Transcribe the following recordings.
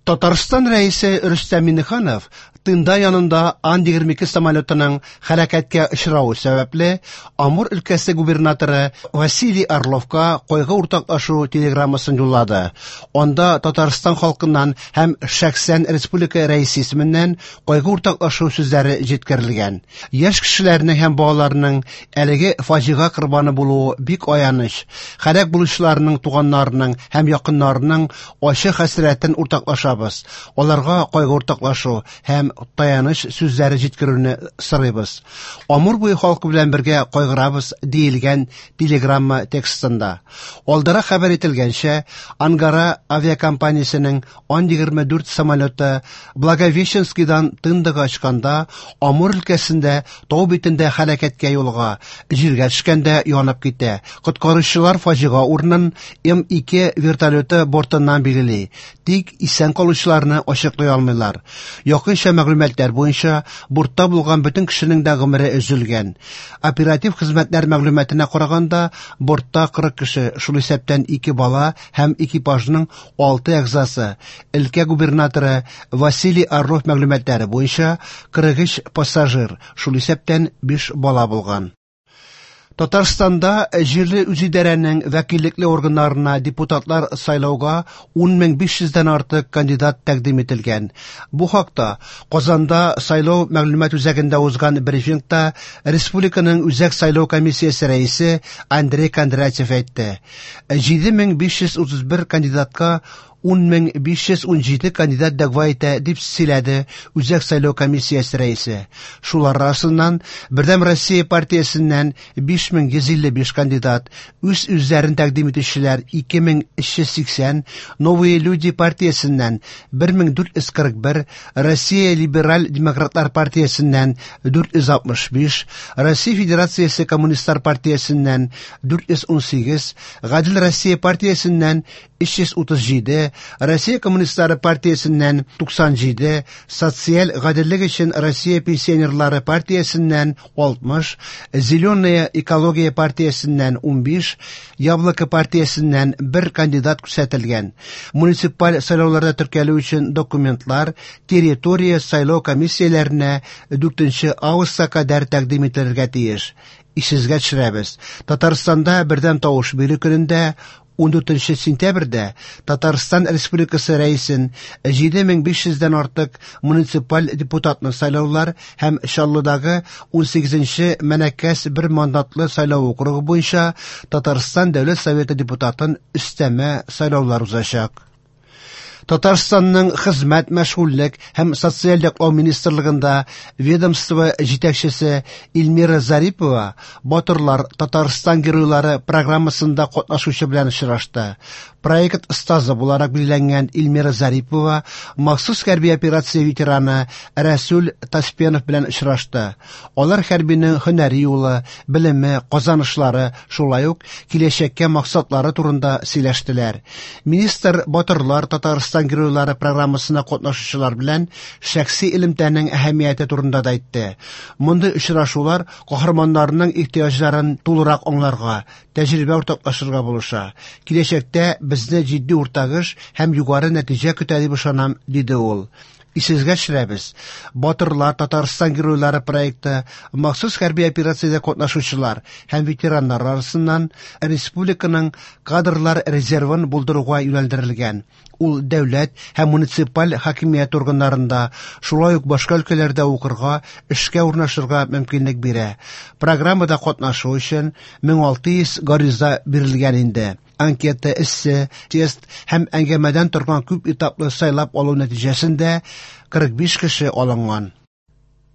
Татарстан Рәисе Рөстәм Миңнеханов Тында янында Ан-22 самолетының һәлакәткә очравы сәбәпле, Амур өлкәсе губернаторы Василий Орловка кайгы уртаклашу телеграммасын юллады. Анда Татарстан халкыннан һәм шәхсән республика рәисе исеменнән кайгы уртаклашу сүзләре җиткерелгән. Яшь кешеләрнең һәм балаларның әлеге фаҗига корбаны булуы бик аяныч. Һәлак булучыларның туганнарының һәм якыннарының ачы хәсрәтен уртаклашабыз. Аларга кайгы уртаклашу һәм таяныч сүзләре җиткерүне сорыйбыз. Амур буе халкы белән бергә кайгырабыз, диелгән телеграмма текстында. Алдарак хәбәр ителгәнчә, Ангара авиакомпаниясенең Ан-24 самолеты Благовещенскийдан Тындага очканда, Амур өлкәсендә тау битендә һәлакәткә юлыга, җиргә төшкәндә янып китә. Коткаручылар фаҗига урынын М-2 вертолеты бортыннан билгели, тик исән калучыларны ачыклый алмыйлар. Якынча мәгълүматлар буенча, бортта булган бөтен кешенең дә гомере өзелгән. Оператив хезмәтләр мәгълүматына караганда, бортта 40 кеше, шул исәптән ике бала һәм экипажның алты әгъзасы, өлкә губернаторы Василий Орлов мәгълүматлары буенча, 43 пассажир, шул исәптән 5 бала булган. Татарстанда җирле үзидарәнең вәкиллекле органнарына депутатлар сайлауга 10 500 дән артык кандидат тәкъдим ителгән. Бу хакта Казанда сайлау мәгълүмат үзәгендә узган брифингта республиканың Үзәк сайлау комиссиясе рәисе Андрей Кондратьев әйтте. 7531 кандидатка 10 517 кандидат дәгъва итә, дип сөйләде Үзәк сайлау комиссиясе рәисе. Шулар арасыннан Бердәм Россия партиясеннән 5155 кандидат, үз-үзләрен тәкъдим итүчеләр 2380, Новые люди партиясеннән 1441, Россия либераль демократлар партиясеннән 465, Россия Федерациясе коммунистлар партиясеннән 418, Гадел Россия партиясеннән 337, Россия коммунистлары партиясеннән 97, Социаль гаделлек өчен Россия пенсионерлары партиясеннән 60, Зеленая экология партиясеннән 15, Яблоко партиясеннән бер кандидат күрсәтелгән. Муниципаль сайлауларда теркәлү өчен документлар территория сайлау комиссияләренә 4 августка кадәр тәкъдим ителергә тиеш. Исегезгә төшерәбез: Татарстанда бердәм тавыш бирү көнендә, 14 сентябрьдә, Татарстан Республикасы Рәисен, 7500 дән артык муниципаль депутатны сайлаулар һәм Чаллыдагы 18 Мәнәкәс бер мандатлы сайлау округы буенча Татарстан Дәүләт Советы депутатын өстәмә сайлаулар узачак. Татарстанның Хезмәт, мәшгульлек һәм социаль яклау министрлыгында ведомство җитәкчесе Эльмира Зарипова Батырлар Татарстан геройлары программасында катнашучы белән очрашты. Проект остазы буларак билгеләнгән Эльмира Зарипова махсус хәрби операция ветераны Рәсүл Таспенов белән очрашты. Алар хәрбинең һөнәри юлы, белеме, казанышлары, шулай ук киләчәккә максатлары турында сөйләштеләр. Министр Батырлар Татарстан геройлары программасына катнашучылар белән шәхси элемтәнең әһәмияте турында да әйтте. Мондый очрашулар каһарманнарның ихтыяҗларын тулырак аңларга, тәҗрибә уртаклашырга булыша. Киләчәктә безне җитди уртак эш һәм югары нәтиҗә көтә дип ышанам, диде ул. Исегезгә төшерәбез: Батырлар Татарстан геройлары проекты махсус хәрби операциядә катнашучылар һәм ветераннар арасыннан республиканың кадрлар резервын булдыруга юнәлдерелгән. Ул дәүләт һәм муниципаль хакимият органнарында, шулай ук башка өлкәләрдә укырга, эшкә урнашырга мөмкинлек бирә. Программада катнашу өчен 1600 гариза бирелгән инде. Анкета, эссе, тест һәм әңгәмәдән торган күп этаплы сайлап алу нәтиҗәсендә 45 кеше алынган.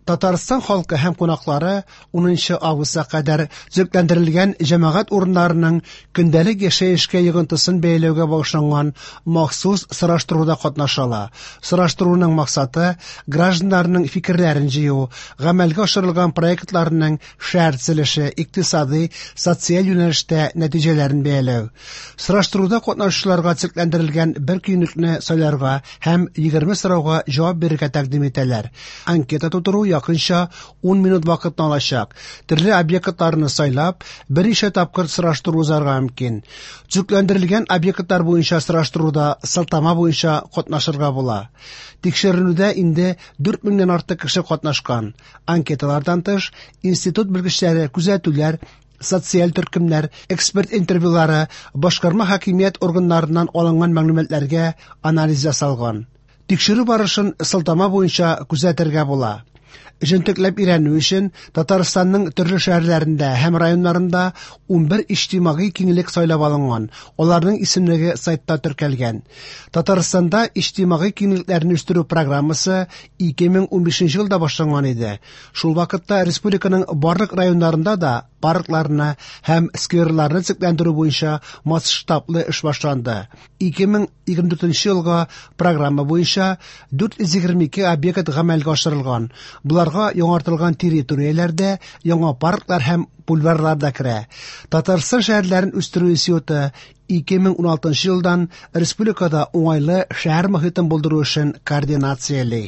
Татарстан халкы һәм кунаклары 10 августка кадәр төзекләндерелгән җәмәгать урыннарының көндәлек яшәешкә йогынтысын бәяләүгә багышланган махсус сораштыруда катнаша ала. Сораштыруның максаты – гражданнарның фикерләрен җыю, гамәлгә ашырылган проектларның шәһәр төзелеше, икътисадый, социаль юнәлештә нәтиҗәләрен бәяләү. Сораштыруда катнашучыларга төзекләндерелгән бер көнлекне сайларга һәм 20 сорауга җавап бирергә тәкъдим итәләр. Анкета тутыру. якынча 10 минут вакытны алачак. Төрле объектларны сайлап, берничә тапкыр сораштыру узарга мөмкин. Төзекләндерелгән объектлар буенча сораштыруда сылтама буенча катнашырга була. Тикшеренүдә инде 4 меңнән артык кеше катнашкан. Анкеталардан тыш, институт белгечләре күзәтүләр, социаль төркемнәр, эксперт интервьюлары, башкарма хакимият органнарыннан алынган мәгълүматларга анализ ясалган. Тикшерү барышын сылтама буенча күзәтергә була. Җентекләп өйрәнү өчен Татарстанның төрле шәһәрләрендә һәм районнарында 11 иҗтимагый киңлек сайлап алынган. Аларның исемлеге сайтта теркәлгән. Татарстанда иҗтимагый киңлекләрне үстерү программасы 2015 елда башланган иде. Шул вакытта республиканың барлык районнарында да паркларны һәм скверларны төзекләндерү буенча масштаблы эш башланды. 2024 елга программа буенча 422 объект гамәлгә ашырылган. Боларга яңартылган территорияләрдә яңа парклар һәм бульварлар да керә. Татарстан шәһәрләрен үстерү институты 2016 елдан республикада уңайлы шәһәр мохитен булдыру эшен координацияли.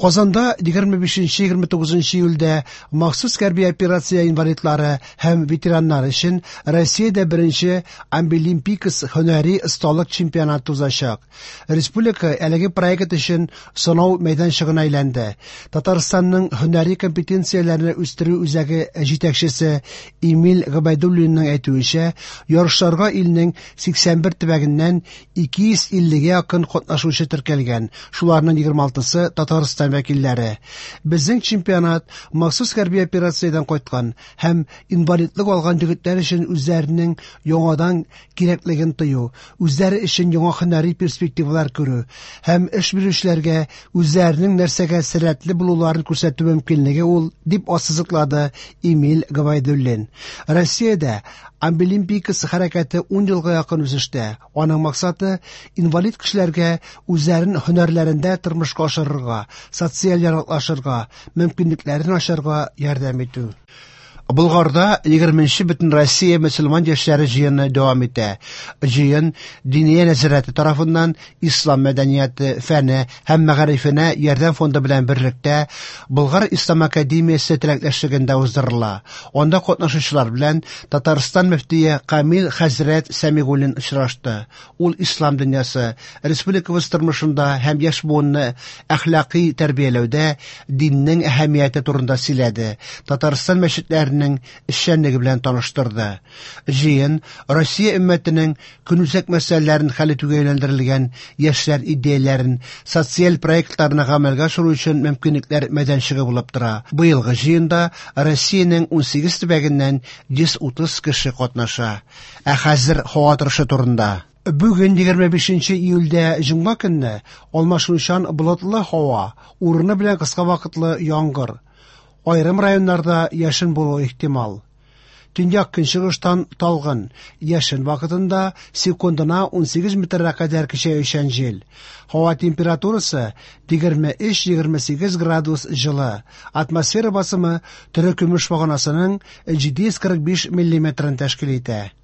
Казанда 25-29 июльдә махсус хәрби операция инвалидлары һәм ветераннар өчен Россиядә беренче Абилимпикс һөнәри осталык чемпионаты узачак. Республика әлеге проект өчен сынау мәйданчыгына әйләнде. Татарстанның һөнәри компетенцияләрне үстерү үзәге җитәкчесе Эмиль Гобәйдуллинның әйтүенчә, ярышларга илнең 81 төбәгеннән 250-гә якын катнашучы теркәлгән. Шуларның 26-сы Татарстан вәкилләре. Безнең чемпионат махсус хәрби операциядән кайткан һәм инвалидлык алган егетләр өчен үзләренең яңадан кирәклеген тою, үзләре өчен яңа һөнәри перспективалар күрү һәм эш бирүчеләргә үзләренең нәрсәгә сәләтле булуларын күрсәтү мөмкинлеге ул, дип ассызыклады Эмиль Гобәйдуллин. Россиядә Абилимпикс хәрәкәте 10 елга якын үсештә. Аның максаты инвалид кешеләргә үзләрен һөнәрләрендә тормышка ашырырга, социаль яраклашырга, мөмкинлекләрен ачарга ярдәм итү. Болгарда 20-нче Бөтенроссия мөселман яшьләре җыены дәвам итә. Җыен Диния нәзарәте тарафыннан Ислам мәдәнияте, фәне һәм мәгарифенә ярдәм фонды белән берлектә Болгар Ислам академиясе теләктәшлегендә уздырыла. Анда катнашучылар белән Татарстан мөфтие Камил хәзрәт Сәмигуллин очрашты. Ул ислам дөньясы, республикабыз тормышында һәм яшь буынны әхлакый тәрбияләүдә диннең әһәмияте турында сөйләде. Татарстан мәчетләренең эшчәнлеге белән таныштырды. Җыен Россия өммәтенең көнүзәк мәсьәләләрен хәл итүгә юнәлдерелгән яшьләр идеяләрен, социаль проектларны гамәлгә ашыру өчен мөмкинлекләр мәйданчыгы булып тора. Быелгы җыенда Россиянең 18 төбәгеннән 130 кеше катнаша. Ә хәзер һава торышы турында. Бүген 25 июльдә җомга көнне алмашынучан болытлы һава, урыны белән кыска вакытлы яңгыр. Аерым районнарда яшен булуы ихтимал. Төньяк көнчыгыштан талгын, яшен вакытында секундына 18 метрга кадәр көчәючән җил. Һава температурасы 23-28 градус җылы. Атмосфера басымы терекөмеш баганасының 745 миллиметрын тәшкил итә.